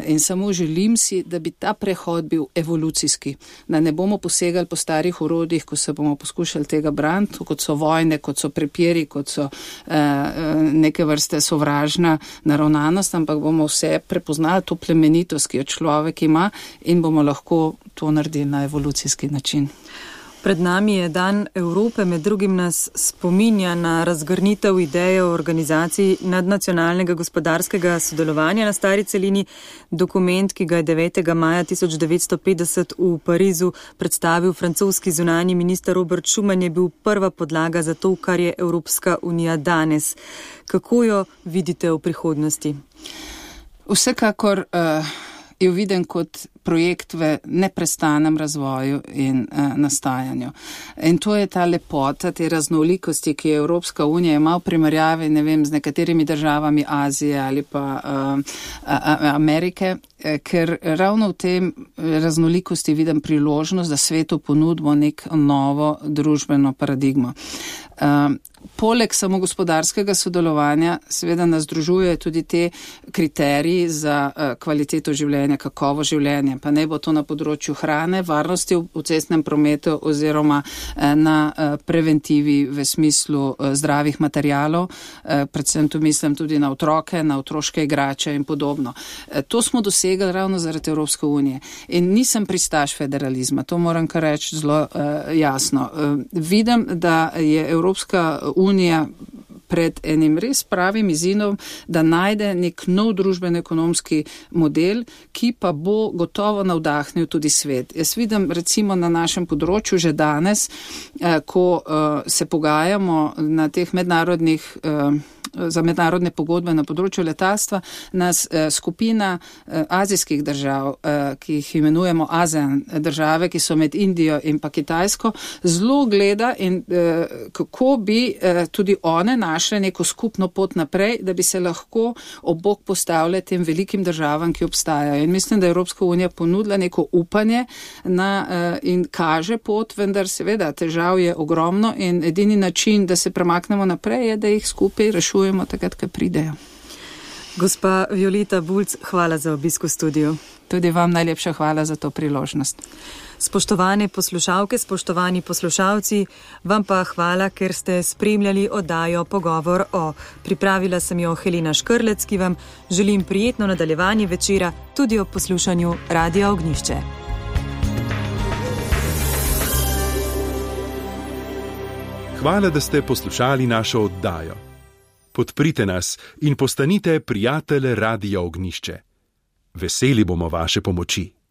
In samo želim si, da bi ta prehod bil evolucijski, da ne bomo posegali po starih orodjih, ko se bomo poskušali tega braniti, kot so vojne, kot so prepiri, kot so neke vrste sovražna naravnanost, ampak bomo vse prepoznali to plemenitost, ki jo človek ima in bomo lahko to naredili na evolucijski način. Pred nami je Dan Evrope, med drugim nas spominja na razgrnitev ideje o organizaciji nadnacionalnega gospodarskega sodelovanja na stari celini. Dokument, ki ga je devetega maja tisoč devetsto petdeset v Parizu predstavil francoski zunanji minister Robert Schuman, je bil prva podlaga za to, kar je Evropska unija danes. Kako jo vidite v prihodnosti? Vsekakor uh, jo vidim kot projekt v neprestanem razvoju in uh, nastajanju. In to je ta lepota, te raznolikosti, ki je Evropska unija ima v primerjavi, ne vem, z nekaterimi državami Azije ali pa uh, Amerike, ker ravno v tem raznolikosti vidim priložnost, da svetu ponudimo nek novo družbeno paradigmo. Uh, Poleg samo gospodarskega sodelovanja seveda nas združuje tudi te kriteriji za uh, kvaliteto življenja, kakovo življenje, pa ne bo to na področju hrane, varnosti v, v cestnem prometu oziroma uh, na uh, preventivi v smislu uh, zdravih materialov, uh, predvsem tu mislim tudi na otroke, na otroške igrače in podobno. Uh, to smo dosegli ravno zaradi Evropske unije in nisem pristaš federalizma, to moram kar reči zelo uh, jasno. Uh, vidim, da je Evropska unija pred enim res pravim izzivom, da najde nek nov družbeno-ekonomski model, ki pa bo gotovo navdahnil tudi svet. Jaz vidim recimo na našem področju že danes, ko se pogajamo na teh mednarodnih za mednarodne pogodbe na področju letalstva, nas eh, skupina eh, azijskih držav, eh, ki jih imenujemo ASEAN države, ki so med Indijo in pa Kitajsko, zelo gleda in eh, kako bi eh, tudi one našle neko skupno pot naprej, da bi se lahko ob bok postavile tem velikim državam, ki obstajajo. In mislim, da je Evropska unija ponudila neko upanje na, eh, in kaže pot, vendar seveda težav je ogromno in edini način, da se premaknemo naprej, je, da jih skupaj rešujemo takrat, ko pridejo. Gospa Violeta Bulc, hvala za obisk v studiu. Tudi vam najlepša hvala za to priložnost. Spoštovane poslušalke, spoštovani poslušalci, vam pa hvala, ker ste spremljali oddajo Pogovor o. Pripravila sem jo Helena Škrlec, ki vam želim prijetno nadaljevanje večera tudi ob poslušanju Radia Ognjišče. Hvala, da ste poslušali našo oddajo. Podprite nas in postanite prijatelj Radia Ognjišče. Veseli bomo vaše pomoči.